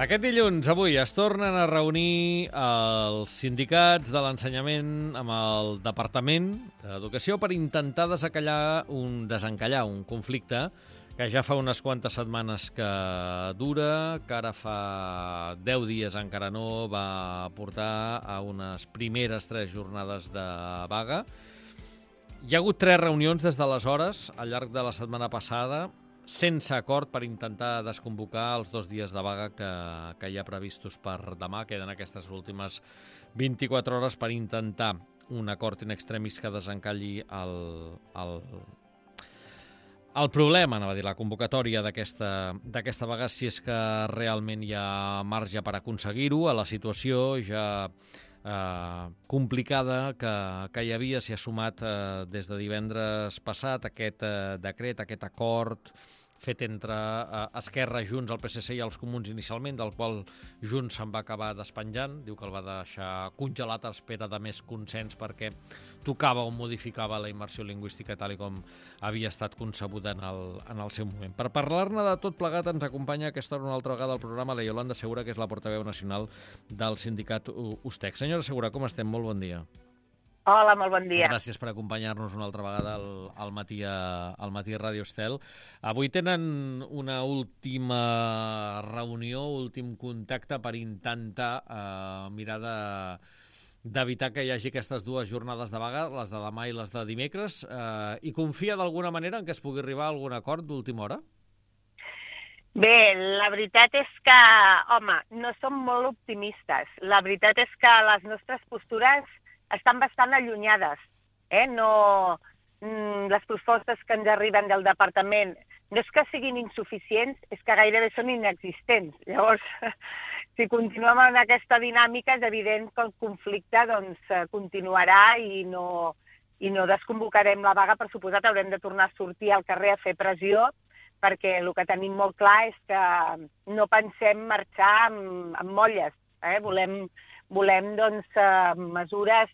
Aquest dilluns, avui, es tornen a reunir els sindicats de l'ensenyament amb el Departament d'Educació per intentar desencallar un conflicte que ja fa unes quantes setmanes que dura, que ara fa 10 dies encara no va portar a unes primeres 3 jornades de vaga. Hi ha hagut 3 reunions des d'aleshores, al llarg de la setmana passada, sense acord per intentar desconvocar els 2 dies de vaga que hi ha previstos per demà. Queden aquestes últimes 24 hores per intentar un acord in extremis que desencalli el problema, anava a dir, la convocatòria d'aquesta vaga, si és que realment hi ha marge per aconseguir-ho. A la situació ja complicada que hi havia, s'hi ha sumat des de divendres passat aquest decret, aquest acord fet entre Esquerra, Junts, el PSC i els Comuns inicialment, del qual Junts se'n va acabar despenjant, diu que el va deixar congelat a espera de més consens perquè tocava o modificava la immersió lingüística tal com havia estat concebuda en el seu moment. Per parlar-ne de tot plegat ens acompanya aquesta hora una altra vegada al programa la Yolanda Segura, que és la portaveu nacional del sindicat USTEC. Senyora Segura, com estem? Molt bon dia. Hola, molt bon dia. Gràcies per acompanyar-nos una altra vegada al matí a Ràdio Estel. Avui tenen una última reunió, últim contacte per intentar mirar d'evitar que hi hagi aquestes 2 jornades de vaga, les de demà i les de dimecres, i confia d'alguna manera en que es pugui arribar a algun acord d'última hora? Bé, la veritat és que, home, no som molt optimistes. La veritat és que les nostres postures estan bastant allunyades. Les propostes que ens arriben del departament no és que siguin insuficients, és que gairebé són inexistents. Llavors, si continuem en aquesta dinàmica, és evident que el conflicte continuarà i no desconvocarem la vaga. Per suposat, haurem de tornar a sortir al carrer a fer pressió, perquè el que tenim molt clar és que no pensem marxar amb molles. Volem mesures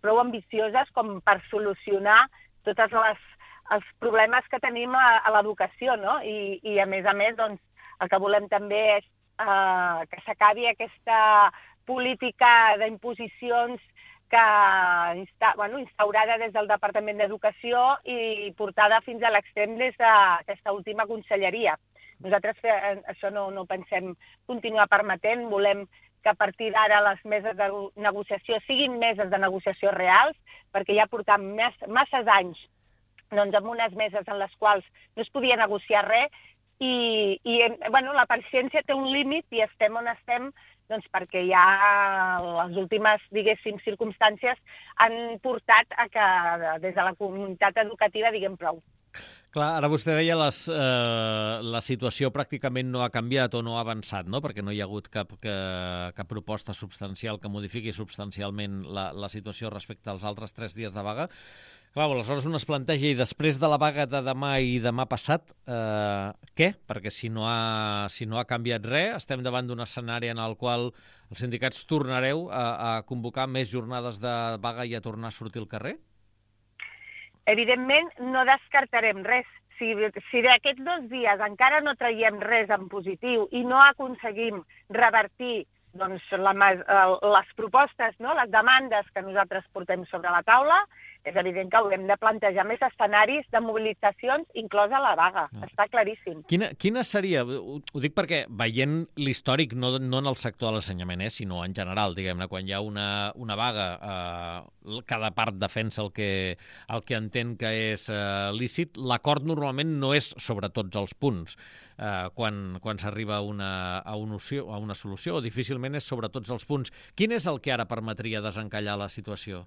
prou ambicioses com per solucionar tots els problemes que tenim a l'educació, no? I a més, el que volem també és que s'acabi aquesta política d'imposicions instaurada des del Departament d'Educació i portada fins a l'extrem des d'aquesta última conselleria. Nosaltres això no pensem continuar permetent, volem que a partir d'ara les meses de negociació siguin meses de negociació reals, perquè ja portam masses anys amb unes meses en les quals no es podia negociar res i la paciència té un límit i estem on estem perquè ja les últimes, diguéssim, circumstàncies han portat a que des de la comunitat educativa diguem prou. Clar, ara vostè deia la situació pràcticament no ha canviat o no ha avançat, no? Perquè no hi ha hagut cap proposta substancial que modifiqui substancialment la situació respecte als altres 3 dies de vaga. Clar, aleshores un es planteja, i després de la vaga de demà i demà passat, què? Perquè si no ha canviat res, estem davant d'un escenari en el qual els sindicats tornareu a convocar més jornades de vaga i a tornar a sortir al carrer? Evidentment, no descartarem res. Si d'aquests 2 dies encara no traiem res en positiu i no aconseguim revertir les propostes, les demandes que nosaltres portem sobre la taula, és evident que haurem de plantejar més escenaris de mobilitzacions, inclosa la vaga. Està claríssim. Quina seria, ho dic perquè veient l'històric, no en el sector de l'ensenyament, sinó en general, diguem-ne, quan hi ha una vaga, cada part defensa el que entén que és lícit, l'acord normalment no és sobre tots els punts quan s'arriba a una solució, o difícilment és sobre tots els punts. Quin és el que ara permetria desencallar la situació?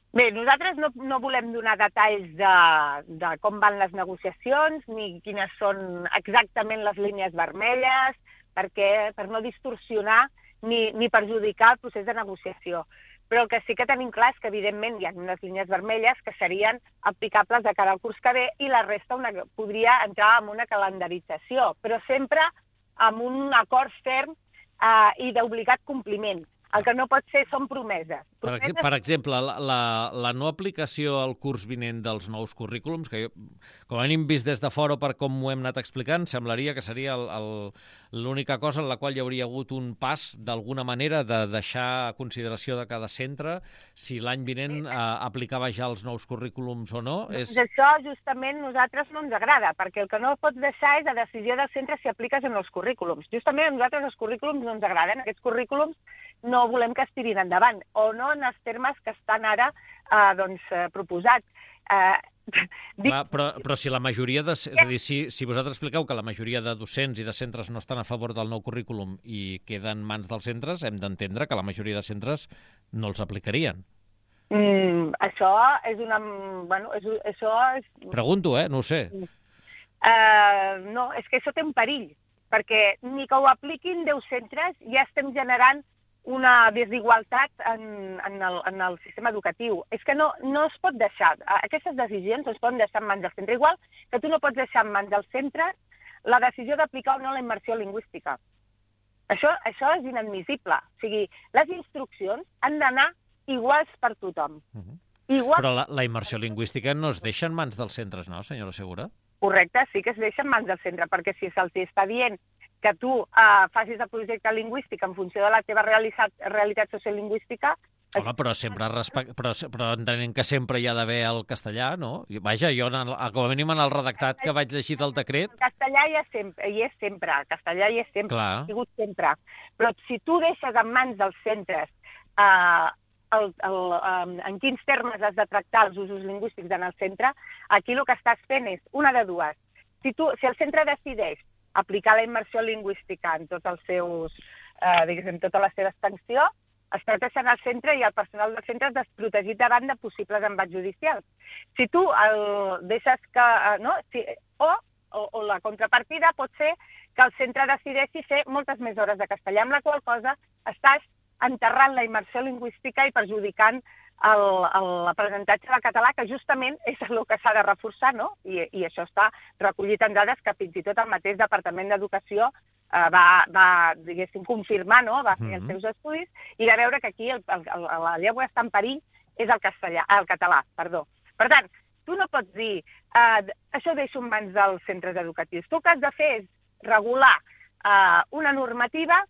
Bé, nosaltres no volem donar detalls de com van les negociacions ni quines són exactament les línies vermelles, per no distorsionar ni perjudicar el procés de negociació. Però el que sí que tenim clar és que, evidentment, hi ha unes línies vermelles que serien aplicables de cara al curs que ve i la resta podria entrar en una calendarització, però sempre amb un acord ferm i d'obligat compliment. El que no pot ser són promeses. Per exemple, la no aplicació al curs vinent dels nous currículums, que jo, com a mínim vist des de fora per com ho hem anat explicant, semblaria que seria l'única cosa en la qual hi hauria hagut un pas, d'alguna manera, de deixar a consideració de cada centre si l'any vinent aplicava ja els nous currículums o no. Això, justament, a nosaltres no ens agrada, perquè el que no pots deixar és la decisió del centre si apliques en els currículums. Justament a nosaltres els currículums no ens agraden. Aquests currículums no volem que es tirin endavant, o no en els termes que estan ara proposats. Però si la majoria és a dir, si vosaltres expliqueu que la majoria de docents i de centres no estan a favor del nou currículum i queda en mans dels centres, hem d'entendre que la majoria de centres no els aplicarien. Això és una... Pregunto, no ho sé. No, és que això té un perill, perquè ni que ho apliquin 10 centres ja estem generant una desigualtat en el sistema educatiu. És que no es pot deixar, aquestes decisions es poden deixar en mans del centre, igual que tu no pots deixar en mans del centre la decisió d'aplicar o no la immersió lingüística. Això és inadmissible. O sigui, les instruccions han d'anar iguals per tothom. Però la immersió lingüística no es deixa en mans dels centres, no, senyora Segura? Correcte, sí que es deixa en mans del centre, perquè si se'ls està dient que tu facis el projecte lingüístic en funció de la teva realitat sociolingüística... Home, però entenent que sempre hi ha d'haver el castellà, no? Vaja, jo, com a mínim en el redactat que vaig llegir del decret... El castellà hi és sempre, el castellà hi és sempre, ha sigut sempre. Però si tu deixes en mans dels centres en quins termes has de tractar els usos lingüístics en el centre, aquí el que estàs fent és una de dues. Si el centre decideix aplicar la immersió lingüística en tots els seus, diguéssim, tota la seva extensió, estàs deixant el centre i el personal del centre desprotegit davant de possibles embats judicials. Si tu el deixes que... O la contrapartida pot ser que el centre decideixi fer moltes més hores de castellà, amb la qual cosa estàs enterrant la immersió lingüística i perjudicant l'aprenentatge del català, que justament és el que s'ha de reforçar, no? I això està recollit en dades que fins i tot el mateix Departament d'Educació va diguéssim, confirmar, no? Va fer els seus estudis i va veure que aquí la llengua està en perill és el català. Per tant, tu no pots dir això ho deixo en mans dels centres educatius. Tu el que has de fer és regular una normativa,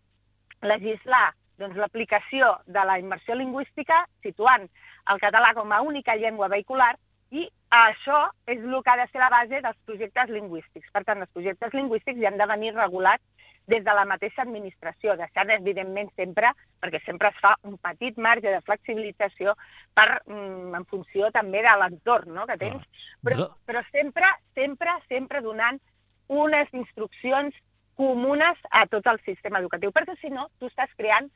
legislar l'aplicació de la immersió lingüística situant el català com a única llengua vehicular i això és el que ha de ser la base dels projectes lingüístics. Per tant, els projectes lingüístics ja han de venir regulats des de la mateixa administració, deixant, evidentment, sempre, perquè sempre es fa un petit marge de flexibilització en funció també de l'entorn que tens, però sempre donant unes instruccions comunes a tot el sistema educatiu, perquè si no, tu estàs creant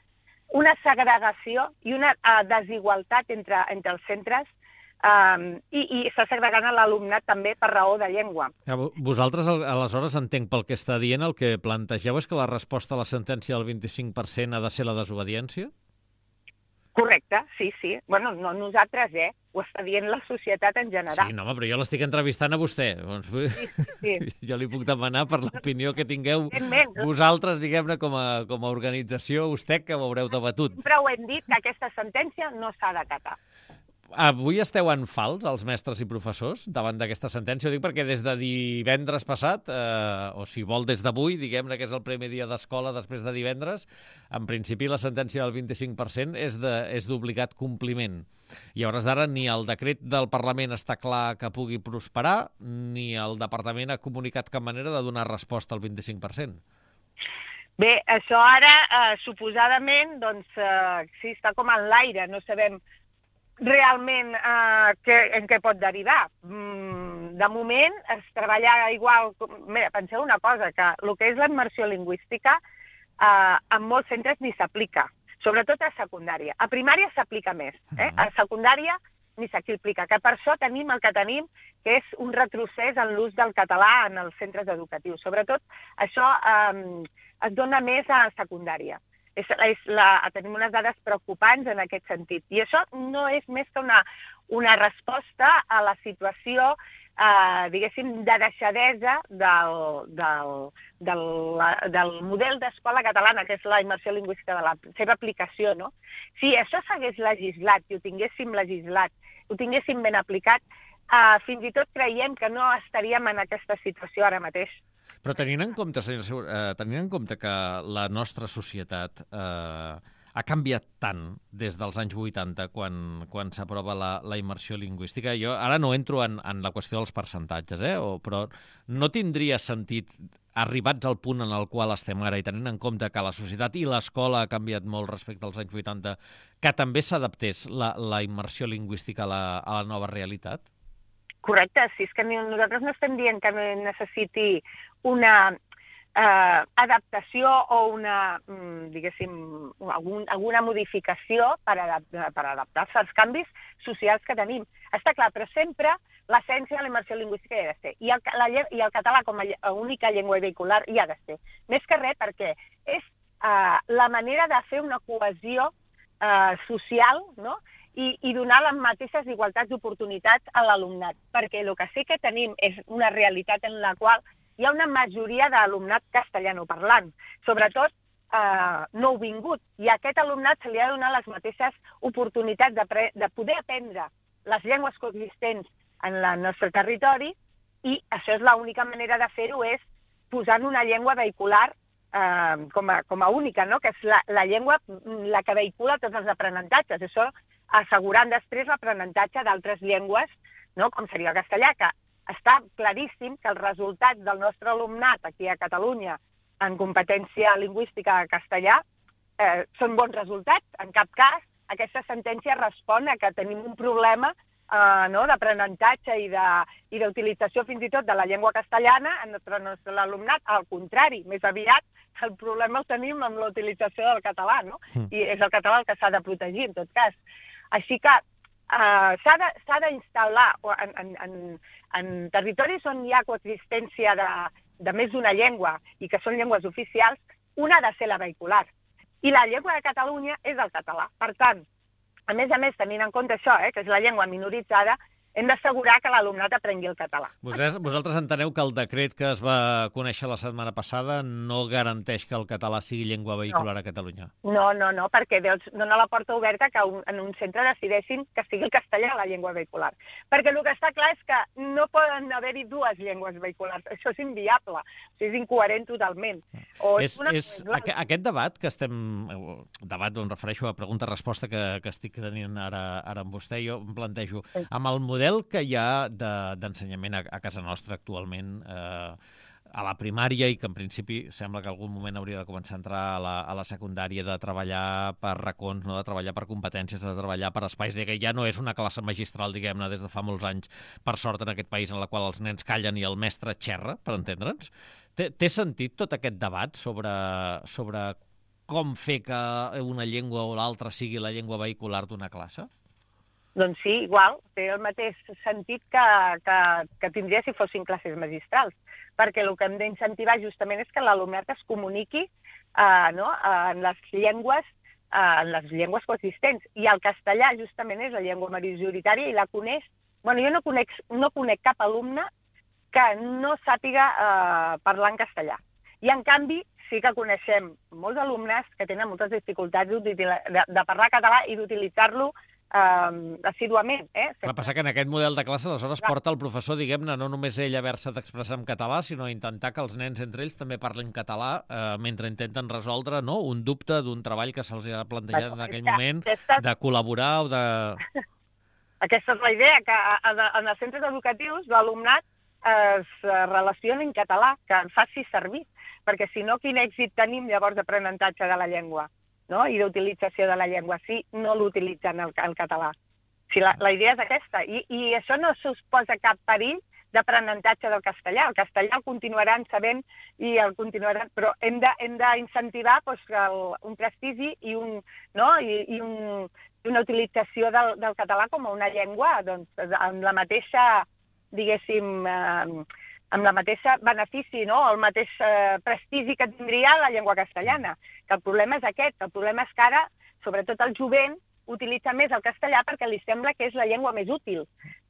una segregació i una desigualtat entre els centres i està segregant l'alumnat també per raó de llengua. Vosaltres, aleshores, entenc pel que està dient, el que plantegeu és que la resposta a la sentència del 25% ha de ser la desobediència? Correcte, sí. Bueno, no nosaltres, ho està dient la societat en general. Sí, no, però jo l'estic entrevistant a vostè. Sí. Jo li puc demanar per l'opinió que tingueu vosaltres, diguem-ne, com a organització USTEC, que ho haureu debatut. Sempre ho hem dit, que aquesta sentència no s'ha d'acatar. Avui esteu en fals, els mestres i professors, davant d'aquesta sentència? Ho dic perquè des de divendres passat, o si vol des d'avui, diguem-ne que és el primer dia d'escola després de divendres, en principi la sentència del 25% és d'obligat compliment. I a hores d'ara ni el decret del Parlament està clar que pugui prosperar, ni el Departament ha comunicat cap manera de donar resposta al 25%. Bé, això ara, suposadament, sí, està com en l'aire, no sabem realment en què pot derivar. De moment es treballa igual... Mira, penseu una cosa, que el que és la immersió lingüística en molts centres ni s'aplica, sobretot a secundària. A primària s'aplica més, a secundària ni s'aplica, que per això tenim el que tenim, que és un retrocés en l'ús del català en els centres educatius. Sobretot això es dona més a secundària. Tenim unes dades preocupants en aquest sentit. I això no és més que una resposta a la situació, diguéssim, de deixadesa del model d'escola catalana, que és la immersió lingüística de la seva aplicació, no? Si això s'hagués legislat i ho tinguéssim legislat, ho tinguéssim ben aplicat, fins i tot creiem que no estaríem en aquesta situació ara mateix. Però tenint en compte, senyora Segura, tenint en compte que la nostra societat ha canviat tant des dels anys 80, quan s'aprova la immersió lingüística. Jo ara no entro en la qüestió dels percentatges, però no tindria sentit, arribats al punt en el qual estem ara i tenint en compte que la societat i l'escola ha canviat molt respecte als anys 80, que també s'adaptés la immersió lingüística a la nova realitat? Correcte, sí, és que nosaltres no estem dient que no necessiti una adaptació o alguna modificació per adaptar-se als canvis socials que tenim. Està clar, però sempre l'essència de la immersió lingüística hi ha de ser. I el català com a única llengua vehicular hi ha de ser. Més que res perquè és la manera de fer una cohesió social, no?, i donar les mateixes igualtats d'oportunitats a l'alumnat, perquè el que sí que tenim és una realitat en la qual hi ha una majoria d'alumnat castellanoparlant, sobretot nouvingut, i a aquest alumnat se li ha de donar les mateixes oportunitats de poder aprendre les llengües coexistents en el nostre territori, i això és l'única manera de fer-ho, és posant una llengua vehicular com a única, no?, que és la llengua la que vehicula tots els aprenentatges. Això assegurant després l'aprenentatge d'altres llengües, no?, com seria el castellà, que està claríssim que els resultats del nostre alumnat aquí a Catalunya en competència lingüística castellà són bons resultats. En cap cas aquesta sentència respon a que tenim un problema d'aprenentatge i d'utilització fins i tot de la llengua castellana entre l'alumnat. Al contrari, més aviat el problema el tenim amb la utilització del català, no? I és el català el que s'ha de protegir, en tot cas. Així que s'ha d'instal·lar en territoris on hi ha coexistència de més d'una llengua i que són llengües oficials, una ha de ser la vehicular. I la llengua de Catalunya és el català. Per tant, a més, tenint en compte això, que és la llengua minoritzada, hem d'assegurar que l'alumnat aprengui el català. Vosaltres enteneu que el decret que es va conèixer la setmana passada no garanteix que el català sigui llengua vehicular a Catalunya? No, perquè dona la porta oberta que en un centre decideixin que sigui el castellà la llengua vehicular. Perquè el que està clar és que no poden haver-hi dues llengües vehiculars. Això és inviable, és incoherent totalment. Aquest debat que estem... Debat, em refereixo a pregunta-resposta que estic tenint ara amb vostè, jo em plantejo, amb el model que hi ha d'ensenyament a casa nostra actualment a la primària i que en principi sembla que en algun moment hauria de començar a entrar a la secundària, de treballar per racons, no de treballar per competències, de treballar per espais, que ja no és una classe magistral, diguem-ne, des de fa molts anys, per sort, en aquest país en la qual els nens callen i el mestre xerra, per entendre'ns. Té sentit tot aquest debat sobre com fer que una llengua o l'altra sigui la llengua vehicular d'una classe? Doncs sí, igual, té el mateix sentit que tindria si fossin classes magistrals, perquè el que hem d'incentivar justament és que l'alumnat es comuniqui en les llengües coexistents. I el castellà justament és la llengua majoritària i la coneix. Jo no conec cap alumne que no sàpiga parlar en castellà. I en canvi sí que coneixem molts alumnes que tenen moltes dificultats de parlar català i d'utilitzar-lo assíduament. El que passa que en aquest model de classe aleshores porta el professor, diguem-ne, no només ell haver-se d'expressar en català, sinó intentar que els nens entre ells també parlin català mentre intenten resoldre un dubte d'un treball que se'ls ha plantejat en aquell moment, de col·laborar o de... Aquesta és la idea, que en els centres educatius l'alumnat es relacioni en català, que en faci servir, perquè si no, quin èxit tenim llavors d'aprenentatge de la llengua? I d'utilització de la llengua, si no l'utilitzen el català. La idea és aquesta, i això no suposa cap perill d'aprenentatge del castellà. El castellà el continuaran sabent, però hem d'incentivar un prestigi i una utilització del català com a una llengua amb la mateixa, diguéssim, amb la mateixa benefici, no? El mateix prestigi que tindria la llengua castellana. Que el problema és aquest, el problema és que ara, sobretot el jovent, utilitza més el castellà perquè li sembla que és la llengua més útil,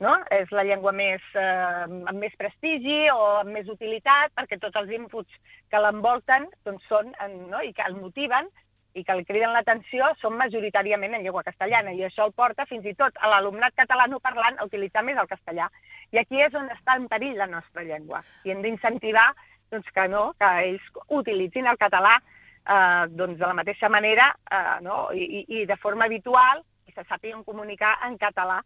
no? És la llengua amb més prestigi o amb més utilitat, perquè tots els inputs que l'envolten doncs són, no? I que el motiven i que li criden l'atenció són majoritàriament en llengua castellana, i això el porta fins i tot a l'alumnat catalanoparlant a utilitzar més el castellà. I aquí és on està en perill la nostra llengua. I hem d'incentivar doncs, que ells utilitzin el català doncs, de la mateixa manera i de forma habitual, i se sàpiguen comunicar en català.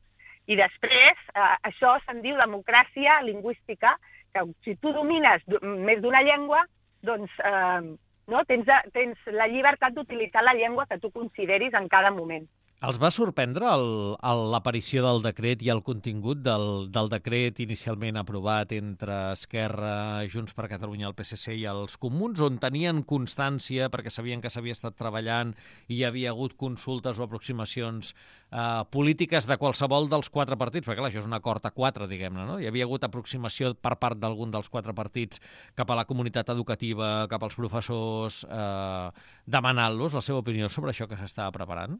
I després, això se'n diu democràcia lingüística, que si tu domines més d'una llengua, doncs tens la llibertat d'utilitzar la llengua que tu consideris en cada moment. Els va sorprendre l'aparició del decret i el contingut del decret inicialment aprovat entre Esquerra, Junts per Catalunya, el PSC i els Comuns, on tenien constància, perquè sabien que s'havia estat treballant i hi havia hagut consultes o aproximacions polítiques de qualsevol dels 4 partits, perquè clar, això és un acord a 4, diguem-ne, no? Hi havia hagut aproximació per part d'algun dels 4 partits cap a la comunitat educativa, cap als professors, demanant-los la seva opinió sobre això que s'estava preparant?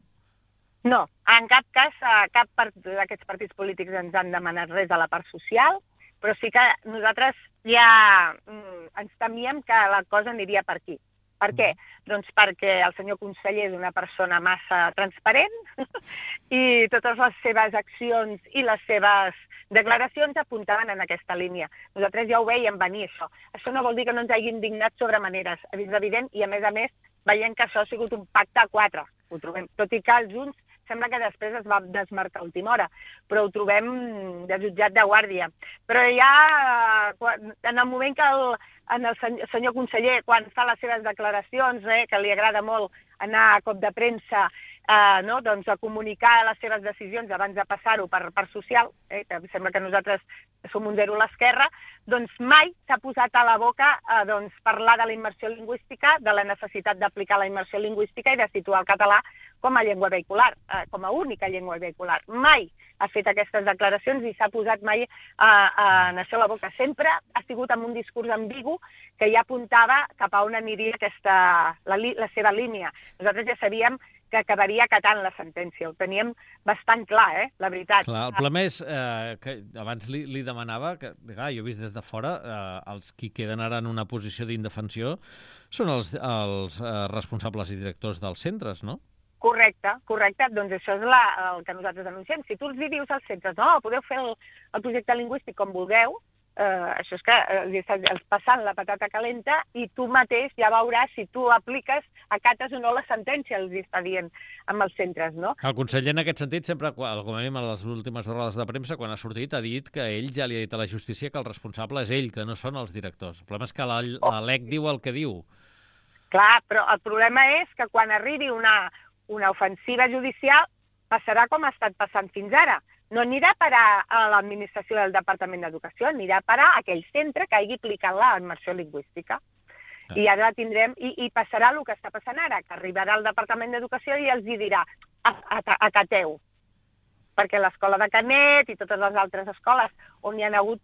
No, en cap cas, cap d'aquests partits polítics ens han demanat res a la part social, però sí que nosaltres ja ens temíem que la cosa aniria per aquí. Per què? Doncs perquè el senyor conseller és una persona massa transparent i totes les seves accions i les seves declaracions apuntaven en aquesta línia. Nosaltres ja ho veiem venir, això. Això no vol dir que no ens hagi indignat sobre maneres, és evident, i a més, veiem que això ha sigut un pacte a 4. Ho trobem, tot i que els Junts sembla que després es va desmarcar a última hora, però ho trobem desjutjat de guàrdia. Però ja en el moment que el senyor conseller, quan fa les seves declaracions, que li agrada molt anar a cop de premsa, doncs a comunicar les seves decisions abans de passar-ho per social, que sembla que nosaltres som un zero a l'esquerra, doncs mai s'ha posat a la boca parlar de la immersió lingüística, de la necessitat d'aplicar la immersió lingüística i de situar el català com a llengua vehicular, com a única llengua vehicular. Mai ha fet aquestes declaracions i s'ha posat mai en això a la boca. Sempre ha sigut amb un discurs ambigu que ja apuntava cap a on aniria la seva línia. Nosaltres ja sabíem que acabaria acatant la sentència. Ho teníem bastant clar, la veritat. Clar, el problema és que abans li demanava que, jo he vist des de fora, els qui queden ara en una posició d'indefensió són els responsables i directors dels centres, no? Correcte. Doncs això és el que nosaltres anunciem. Si tu els dius als centres, no, podeu fer el projecte lingüístic com vulgueu, això és que els passant la patata calenta i tu mateix ja veuràs si tu apliques, acates o no la sentència, els està dient amb els centres, no? El conseller en aquest sentit sempre, com a mínim a les últimes rodes de premsa, quan ha sortit, ha dit que ell ja li ha dit a la justícia que el responsable és ell, que no són els directors. El problema és que la LEC diu el que diu. Clar, però el problema és que quan arribi una ofensiva judicial passarà com ha estat passant fins ara. No anirà a parar a l'administració del Departament d'Educació, anirà a parar a aquell centre que hagi aplicat la immersió lingüística. I ara tindrem, i passarà el que està passant ara, que arribarà al Departament d'Educació i els dirà, acateu. Perquè l'escola de Canet i totes les altres escoles on hi ha hagut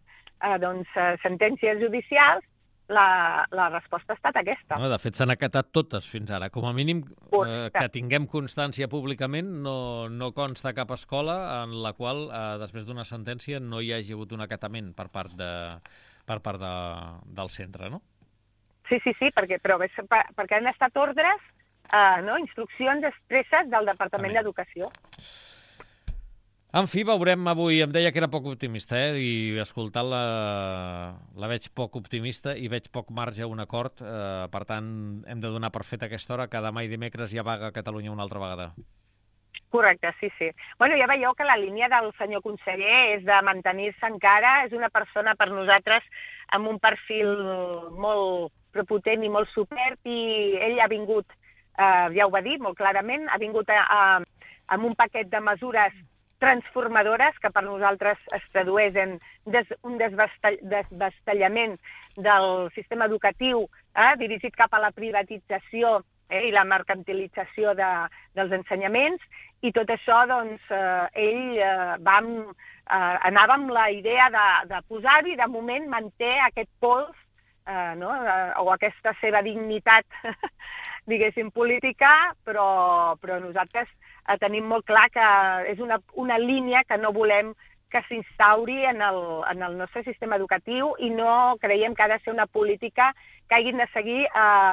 sentències judicials, la resposta ha estat aquesta. De fet, s'han acatat totes fins ara. Com a mínim, que tinguem constància públicament, no consta cap escola en la qual, després d'una sentència, no hi hagi hagut un acatament per part del centre, no? Sí, perquè han estat ordres, instruccions expresses del Departament d'Educació. En fi, veurem avui. Em deia que era poc optimista, i escoltant-la la veig poc optimista i veig poc marge a un acord. Per tant, hem de donar per fet a aquesta hora que demà i dimecres hi ha vaga a Catalunya una altra vegada. Correcte, sí. Bueno, ja veieu que la línia del senyor conseller és de mantenir-se encara. És una persona per nosaltres amb un perfil molt prepotent i molt supert, i ell ha vingut, ja ho va dir molt clarament, ha vingut amb un paquet de mesures transformadores que per nosaltres es tradueix en un desvestellament del sistema educatiu dirigit cap a la privatització i la mercantilització dels ensenyaments, i tot això, doncs, ell anava amb la idea de posar-hi, de moment manté aquest pols, o aquesta seva dignitat, diguéssim, política, però nosaltres tenim molt clar que és una línia que no volem que s'instauri en el nostre sistema educatiu i no creiem que ha de ser una política que hagin de seguir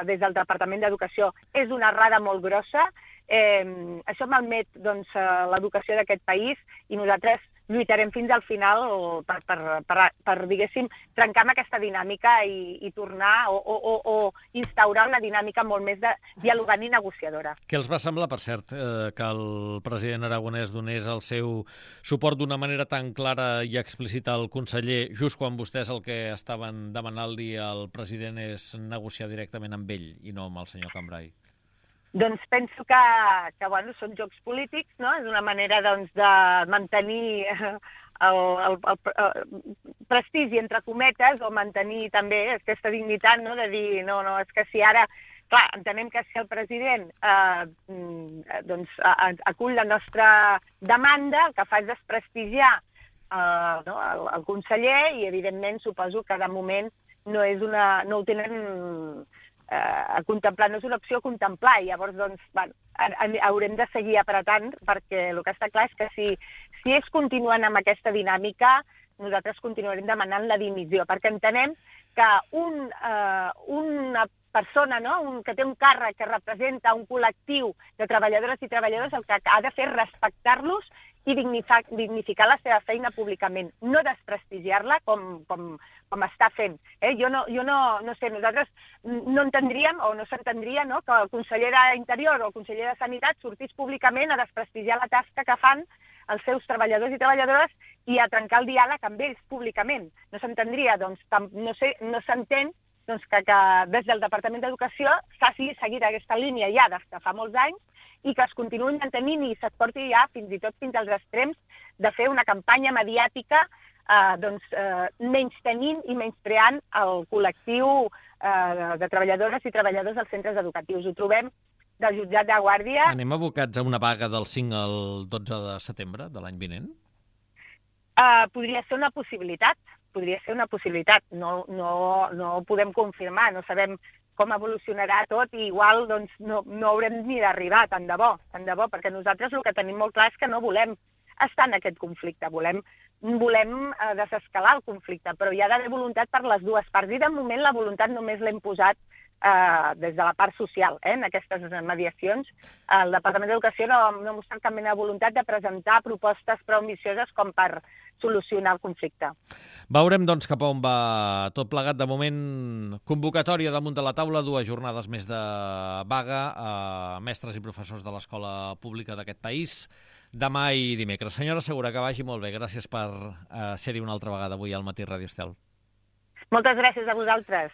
des del Departament d'Educació. És una errada molt grossa, això malmet l'educació d'aquest país i nosaltres lluitarem fins al final per diguéssim, trencar amb aquesta dinàmica i tornar o instaurar una dinàmica molt més dialogant i negociadora. Què els va semblar, per cert, que el president aragonès donés el seu suport d'una manera tan clara i explícita al conseller, just quan vostès el que estaven demanant-li al president és negociar directament amb ell i no amb el senyor Cambray? Doncs penso que són jocs polítics, no? És una manera de mantenir el prestigi, entre cometes, o mantenir també aquesta dignitat, no? De dir, no, és que si ara... Clar, entenem que si el president acull la nostra demanda, el que fa és desprestigiar el conseller i, evidentment, suposo que de moment no ho tenen... a contemplar, no és una opció a contemplar, i llavors haurem de seguir apretant, perquè el que està clar és que si ells continuen amb aquesta dinàmica, nosaltres continuarem demanant la dimissió, perquè entenem que una persona, que té un càrrec que representa un col·lectiu de treballadores i treballadors, el que ha de fer és respectar-los i dignificar la seva feina públicament, no desprestigiar-la com està fent. Jo no sé, nosaltres no entendríem o no s'entendria que el conseller d'Interior o el conseller de Sanitat sortís públicament a desprestigiar la tasca que fan els seus treballadors i treballadores i a trencar el diàleg amb ells públicament. No s'entendria, no s'entén que des del Departament d'Educació s'hagi seguit aquesta línia ja des de fa molts anys i que es continuïn mantenint i s'esporti ja fins i tot fins als extrems de fer una campanya mediàtica menystenint i menyspreant el col·lectiu de treballadores i treballadors dels centres educatius. Ho trobem del jutjat de Guàrdia. Anem abocats a una vaga del 5 al 12 de setembre de l'any vinent? Podria ser una possibilitat. No ho podem confirmar, no sabem com evolucionarà tot i igual no haurem ni d'arribar, tant de bo, perquè nosaltres el que tenim molt clar és que no volem estar en aquest conflicte, volem desescalar el conflicte, però hi ha d'haver voluntat per les dues parts i de moment la voluntat només l'hem posat des de la part social, en aquestes mediacions. El Departament d'Educació no ha mostrat cap mena de voluntat de presentar propostes prou ambicioses com per solucionar el conflicte. Veurem, doncs, cap a on va tot plegat. De moment, convocatòria damunt de la taula, 2 jornades més de vaga a mestres i professors de l'escola pública d'aquest país, demà i dimecres. Senyora Segura, que vagi molt bé. Gràcies per ser-hi una altra vegada avui al Matí Ràdio Estel. Moltes gràcies a vosaltres.